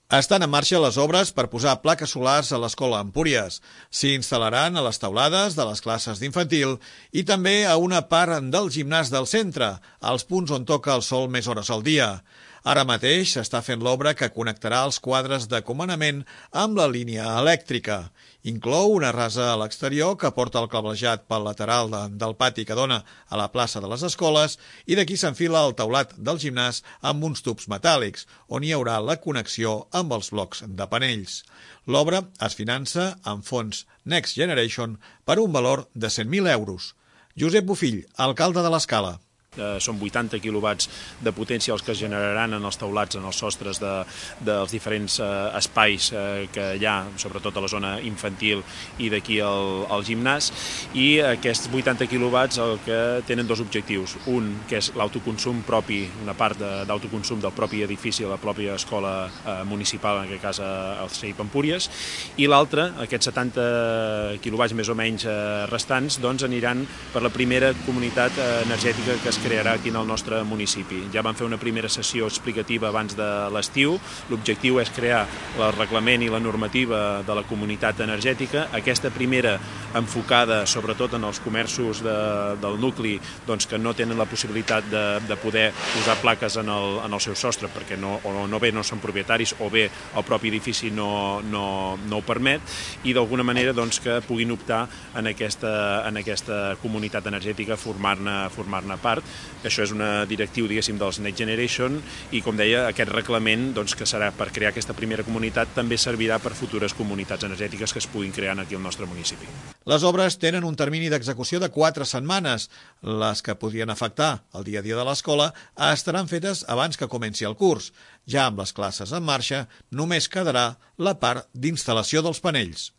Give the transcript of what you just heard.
Estan en marxa les obres per posar plaques solars a l'escola Empúries. S'hi instal·laran a les teulades de les classes d'infantil i també a una part del gimnàs del centre, als punts on toca el sol més hores al dia. Ara mateix s'està fent l'obra que connectarà els quadres de comandament amb la línia elèctrica. Inclou una rasa a l'exterior que porta el cablejat pel lateral del pati que dona a la plaça de les escoles i d'aquí s'enfila el teulat del gimnàs amb uns tubs metàl·lics, on hi haurà la connexió amb els blocs de panells. L'obra es finança amb fons Next Generation per un valor de 100.000 euros. Josep Bofill, alcalde de l'Escala. Són 80 quilowatts de potència els que es generaran en els teulats, en els sostres dels diferents espais que hi ha, sobretot a la zona infantil i d'aquí al gimnàs, i aquests 80 quilowatts el que tenen dos objectius. Un, que és l'autoconsum propi, una part d'autoconsum del propi edifici, la pròpia escola municipal, en aquest cas el CEIP Empúries, i l'altre, aquests 70 quilowatts més o menys restants, doncs aniran per la primera comunitat energètica que es crearà aquí en el nostre municipi. Ja vam fer una primera sessió explicativa abans de l'estiu. L'objectiu és crear el reglament i la normativa de la comunitat energètica. Aquesta primera enfocada sobretot en els comerços del nucli que no tenen la possibilitat de poder posar plaques en el seu sostre perquè no són propietaris o bé el propi edifici no ho permet, i d'alguna manera que puguin optar en aquesta comunitat energètica, formar-ne part. Això és una directiu, diguéssim, dels Next Generation i, com deia, aquest reglament que serà per crear aquesta primera comunitat també servirà per futures comunitats energètiques que es puguin crear aquí al nostre municipi. Les obres tenen un termini d'execució de 4 setmanes. Les que podrien afectar el dia a dia de l'escola estaran fetes abans que comenci el curs. Ja amb les classes en marxa, només quedarà la part d'instal·lació dels panells.